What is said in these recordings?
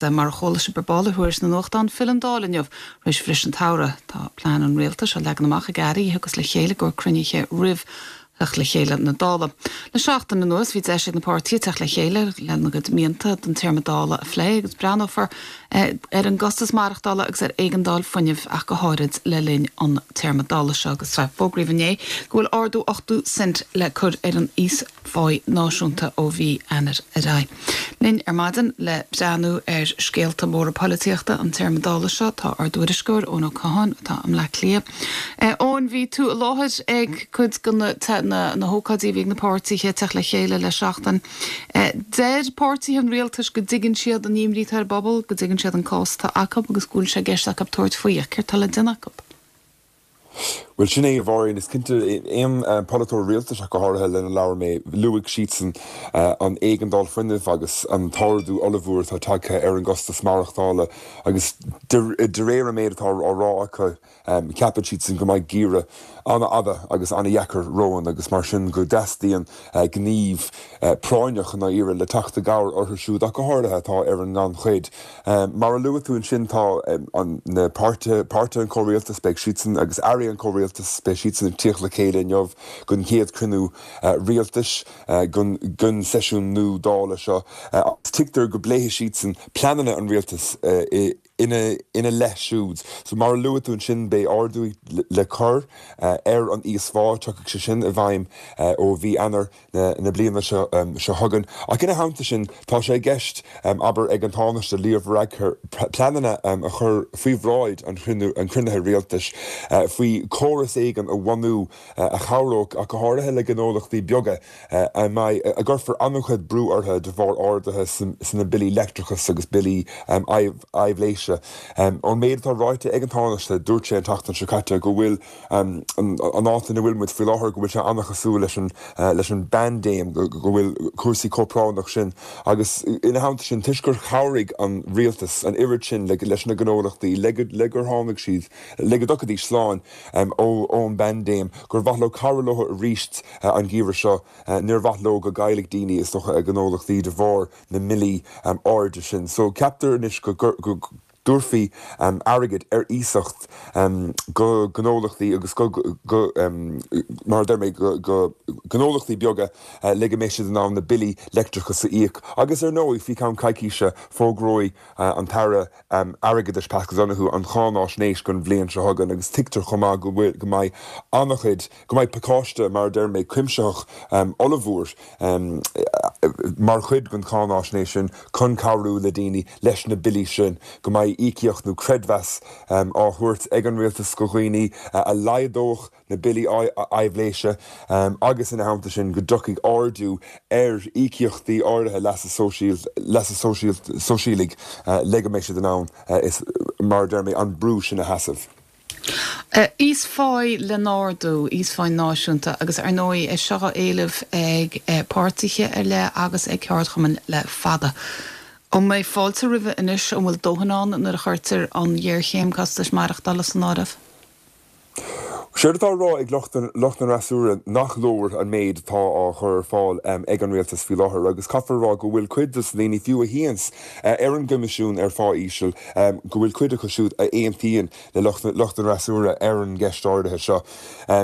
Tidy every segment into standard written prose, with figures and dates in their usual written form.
Mar a chuala sibh ar ball i dtuairisc na nuachtán, filleann an Dáil inniu tar éis bhriseadh an tsamhraidh. Tá plean an rialtais á leagan amach ag airí a thiocfas le chéile i gcomhair cruinnithe roimh theacht le chéile na Dála. Le seachtain anuas bhí deis ag na páirtithe teacht le chéile lena gcuid mianta don téarma Dála a phlé agus breathnófar ar an gcostas maireachtála agus ar éigeandáil fuinnimh ach go háirid le linn an téarma Dála seo agus fógraíodh inné go bhfuil ardú 80 cent le cur ar an íos pháí náisiúnta ó mhí Eanáir ar aghaidh. Linn ar maidin le breathnú ar scéalta móra polaitíochta an téarma Dála seo tá ár dtuairisceoir Eoin Ó Catháin atá i mBleá Cliath. Eoin, bhí tú i láthair ag cuid de na hócáidí a bhí ag na páirtithe teacht le chéile le seachtain. Deir páirtithe an rialtais go dtuigeann siad an imní atá ar an bpobal, go dtuigeann siad an cás atá acu agus go bhfuil sé i gceist acu tabhairt faoi. Ach céard atá le déanamh acu? Bhuel, sin é, a Mháirín. Is cinnte, aon pholaiteoir rialtais ach go háirithe lena labhair mé, luaigh siadsan an éigeandáil fuinnimh agus an t-ardú ollmhór atá tagtha ar an gcostas maireachtála agus de réir an méid atá á rá acu, ceapann siadsan go mbeidh geimhreadh an-fhada agus an-dheacair romhainn agus mar sin go dteastaíonn gníomh práinneach i ndáiríre le teacht i gcabhair orthu siúd ach go háirithe atá ar an ngannchuid. Mar a luaigh tú ansin tá na páirtithe, páirtithe an chomhrialtais, beidh siadsan agus airí an chomhrialtais, beidh siadsan ag tíocht le chéile inniu don chéad chruinniú rialtais den seisiún nua Dála seo agus tuigtear go bpléifidh siadsan pleananna an rialtais ina leith siúd. So mar a luaigh tú ansin beidh ardú le cur ar an íosphá, tiocfaidh sé sin i bhfeidhm ó mhí Eanáir. na bliana seo chugainn. Ach ina theannta sin, tá sé i gceist, abair, ag an Tánaiste Leo Varadkar pleananna a chur faoi bhráid an chruinnithe rialtais faoi chóras éigin a bhunú a chabhródh ach go háirithe le gnólachtaí beaga a mbeidh, a gcuirfear an-chuid brú orthu de bharr arduithe sna billí leictreachais agus billí aibhléise. Ón méid atá ráite ag an Tánaiste, dúirt sé an tseachtain seo caite go bhfuil an áit ina bhfuil muid faoi láthair, go bhfuil sé an-chosúil leis an, leis an bpaindéim, go bhfuil cúrsaí chomh práinneach sin. Agus ina theannta sin, toisc gur chabhraigh an rialtas an oiread sin leis na gnólachtaí, le go, le gur tháinig siad, le go dtiocfaidís slán ón bpaindéim, gur mhaith leo cabhrú leo arís an geimhreadh seo. Níor mhaith leo go gcaillfeadh daoine, is dócha, a ngnólachtaí de bharr na mbillí airde sin. So ceaptar anois go, go. dtabharfaí airgead ar iasacht go gnólachtaí agus go, mar a deir mé, go gnólachtaí beaga le go mbeidh siad in ann na billí leictreachais a íoc. Agus ar ndóigh, faoi cheann coicíse, fógróidh an tAire Airgeadais Paschal Donohoe an cháináisnéis don bhliain seo chugainn agus tuigtear chomh maith go bhfuil, go mbeidh an-chuid, go mbeidh pacáiste, mar a deir mé, cuimsitheach ollmhór mar chuid den cháináisnéis sin chun cabhrú le daoine leis na billí sin, go mbeidh íocaíocht nó creidmheas á thabhairt ag an rialtas go dhaoine a laghdódh na billí aibhléise agus ina theannta sin go dtiocfaidh ardú ar íocaíochtaí áirithe leasa sóisialaigh le go mbeidh siad in ann, mar a deir mé, an brú sin a sheasamh. Íosphá le n-ardú, íosphá náisiúnta, agus ar ndóigh é seo á éileamh ag páirtithe ar leith agus ag ceardchumainn le fada. An mbeidh fáilte roimhe anois? An bhfuil dóthain ann nuair a chuirtear an ghéarchéim costais maireachtála san áireamh? Séard atá á rá ag lucht an fhreasúra nach leor an méid atá á chur ar fáil ag an rialtas faoi láthair agus caithfear a rá go bhfuil cuid dos na daoine, fiú a shuíonns ar an gCoimisiún ar Phá Íseal, go bhfuil cuid acu siúd a aontaíonn le lucht an fhreasúra ar an gceist áirithe seo.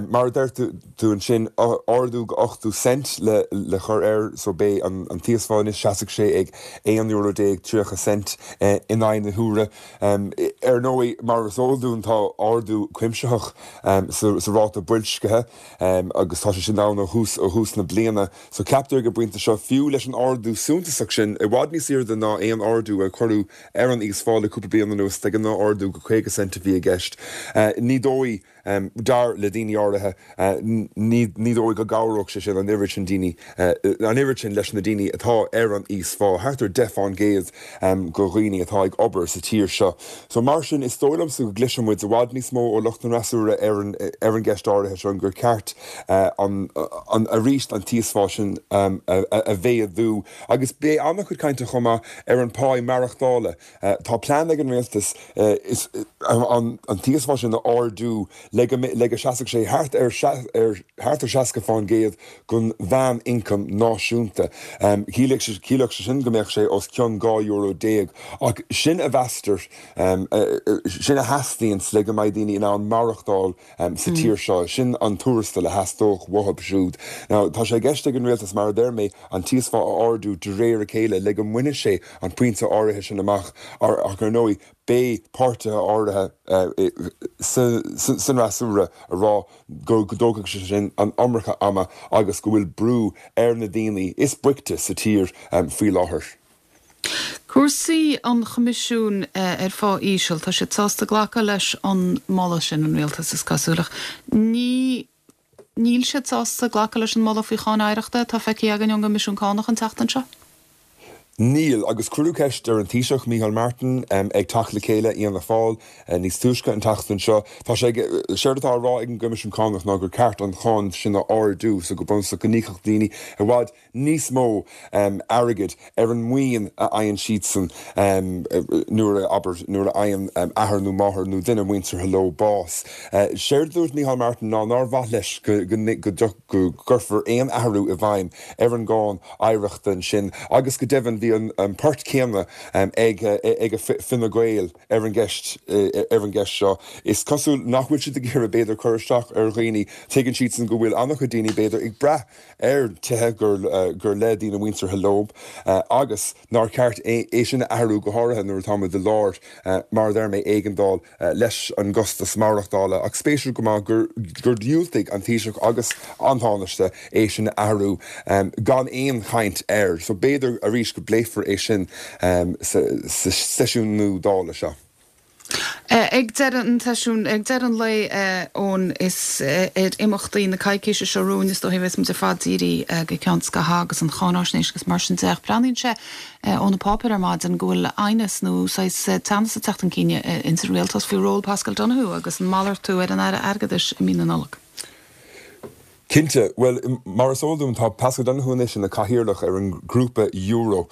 Mar a deir tú ansin, ardú go 80 cent le cur air so beidh an t-íosphá anois, seasfaidh sé ag €11 30 cent in aghaidh na huaire. Ar ndóigh, mar is eol dúinn, tá ardú cuimsitheach sa ráta boilscithe agus tá sé sin ann ó thús na bliana. So ceaptar ag an bpointe seo, fiú leis an ardú suntasach sin, i bhfad níos airde ná aon ardú a cuireadh ar an íosphá le cúpla bliain anuas, de ghnáth ardú go 50 cent a bhí i gceist, ní dóigh, dar le daoine áirithe, ní dóigh go gcabhródh sé sin an oiread sin daoine, an oiread sin leis na daoine atá ar an íosphá, thart ar 10 fán gcéad de dhaoine atá ag obair sa tír seo. So mar. Mar sin, is dóigh liomsa go gcloisfidh muid i bhfad níos mó ó lucht an fhreasúra ar an ar an gceist áirithe seo, gur ceart an an arís an t-íosphá sin a mhéadú. Agus beidh an-chuid cainte chomh maith ar an pá maireachtála. Tá plean ag an rialtas an t-íosphá sin a ardú le go le go seasfadh sé thart ar thart ar 60% den mheán-ioncam náisiúnta. Chiallódh sé sin go mbeadh sé os cionn €12 euro ach sin a mheastar, sin a theastaíonns le go mbeidh daoine in ann maireachtáil sa tír seo. Sin an tuarastal a theastódh uathu siúd. Now, tá sé i gceist ag an rialtas, mar a deir mé, an t-íosphá a ardú de réir a chéile le go mbainfidh sé an pointe áirithe sin amach ach ar ndóigh beidh páirtithe áirithe san fhreasúra ag rá go dtógfaidh sé sin an iomarca ama agus go bhfuil brú ar na daoine is boichte sa tír faoi láthair. Cúrsaí an Choimisiúin ar Phá Íseal, tá siad sásta glacadh leis an moladh sin, an rialtas, is cosúil, ach ní níl siad sásta glacadh leis an moladh faoi cháin oidhreachta atá feicthe againn ón gCoimisiún Cánach an tseachtain seo. Níl, agus cuireadh ceist ar an Taoiseach, Micheál Martin, ag teacht le chéile Fhianna Fáil níos túisce an tseachtain seo. Tá sé, séard atá á rá ag an gCoimisiún Cánach ná gur ceart an cháin sin a ardú so go bunúsach go n-íocfadh daoine i bhfad níos mó airgid ar an maoin a fhaigheann siadsan nuair a, abair, nuair a fhaigheann athair nó máthair nó duine muinteartha leo bás. Séard a dúirt Micheál Martin ná nár mhaith leis go go gcuirfear aon athrú i bhfeidhm ar an gcáin oidhreachta ansin agus go deimhin bhí an port céanna ag ag Fine Gael ar an gceist ar an gceist seo. Is cosúil nach bhfuil siad ag iarraidh b'fhéidir cur isteach ar dhaoine. Tuigeann siadsan go bhfuil an-chuid daoine b'fhéidir ag brath ar tithe gur le daoine muinteartha leo agus nár cheart é sin a athrú, go háirithe nuair atáimid i lár, mar a deir mé, éigeandáil leis an gcostas maireachtála. Ach spéisiúil go maith gur dhiúltaigh an Taoiseach agus an Tánaiste é sin a athrú gan aon chaint air. So b'fhéidir arís go bpléifear é sin sa seisiún nua Dála seo. Ag deireadh an tseisiúin, ag deireadh an lae, Eoin, is ar imeachtaí na coicíse seo romhainn is dóichí a bheas muid ar fad dírithe go ceann scaithimh agus an cháináisnéis agus mar sin de. Ach breathnaíonn sé ó na páipéir ar maidin go bhfuil aighneas nó saghas teannas ag teacht chun cinn ins an rialtas faoi ról Paschal Donohoe agus an malartú ar an Aire Airgeadais i mí na Nollag. Cinnte. Bhuel, mar is eol dúinn, tá Paschal Donohoe anois ina chathaoirleach ar an ngrúpa euro,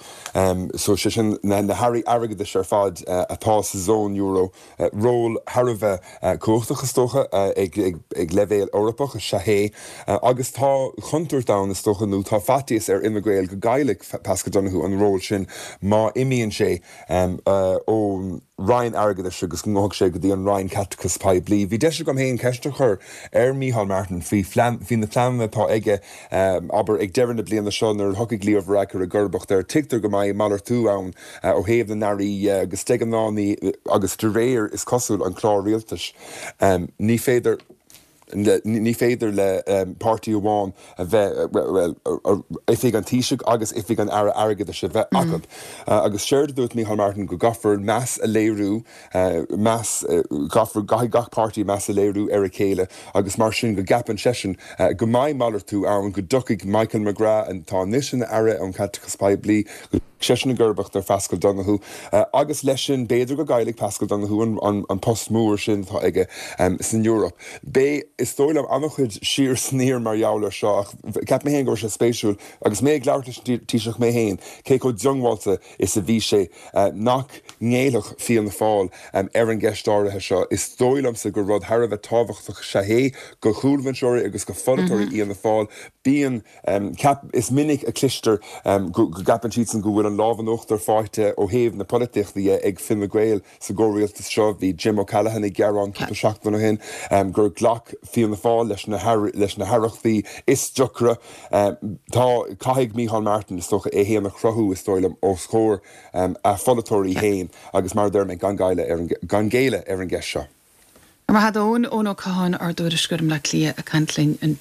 so sé sin na hairí airgeadais ar fad atá sa zón euro. Ról thar a bheith cumhachtach, is dócha, ag leibhéal Eorpach is ea é. Agus tá contúirt ann, is dócha, nó tá faitíos ar Fhine Gael go gcaillfidh Paschal Donohoe an ról sin má imíonn sé ón Roinn Airgeadais agus go ngabhfaidh sé go dtí an Roinn Caiteachais Poiblí. Bhí deis agam féin ceist a chur ar Mícheál Martin faoi faoi na pleananna atá aige, abair, ag deireadh na bliana seo nuair a thiocfaidh Leo Varadkar i gcomharbacht air. Tuigtear go mbeidh malartú ann ó thaobh na n-airí dhe agus de ghnáth ní agus de réir, is cosúil, an chlár rialtais, ní féidir. Ní féidir le páirtí amháin a bheith, bhuel, oifig an Taoisigh agus oifig an Aire Airgeadais a bheith acu. Agus séard a dúirt Micheál Martin go gcaithfear meas a léiriú, meas, caithfear, caithfidh gach páirtí meas a léiriú ar a chéile agus mar sin go gceapann seisean go mbeidh malartú ann, go dtiocfaidh Michael McGrath, atá anois ina Aire um Chaiteachas Poiblí, go. seisean i gcomharbacht ar Phaschal Donohoe agus leis sin b'fhéidir go gcaillfidh Paschal Donohoe an post mór sin atá aige san Eoraip. Beidh, is dóigh liom, an-chuid siar is aniar mar gheall air seo ach cheap mé féin go raibh sé spéisiúil agus mé ag labhairt leis an Taoiseach mé féin cé chomh diongbháilte is a bhí sé nach ngéillfeadh Fianna Fáil ar an gceist áirithe seo. Is dóigh liomsa gur rud thar a bheith tábhachtach is ea é do chúlbhinseoirí agus do pholaiteoirí Fhianna Fáil. Bíonn. Ceap, Is minic a chloistear go gceapann siadsan go bhfuil an lámh in uachtar faighte ó thaobh na polaitíochta dhe ag Fine Gael sa gcomhrialtas seo. Bhí Jim O'Callaghan ag gearán cúpla seachtain ó shin gur ghlac Fianna Fáil leis na haireachtaí is deacra. Tá, caithfidh Micheál Martin, is dócha, é féin a chruthú, is dóigh liom, os comhair a pholaiteoirí féin agus mar a deir mé, gan géilleadh ar an gceist seo. Go raibh maith agat Eoin, Eoin Ó Catháin, ár dtuairisceoir i mBleá Cliath ag caint linn ansin.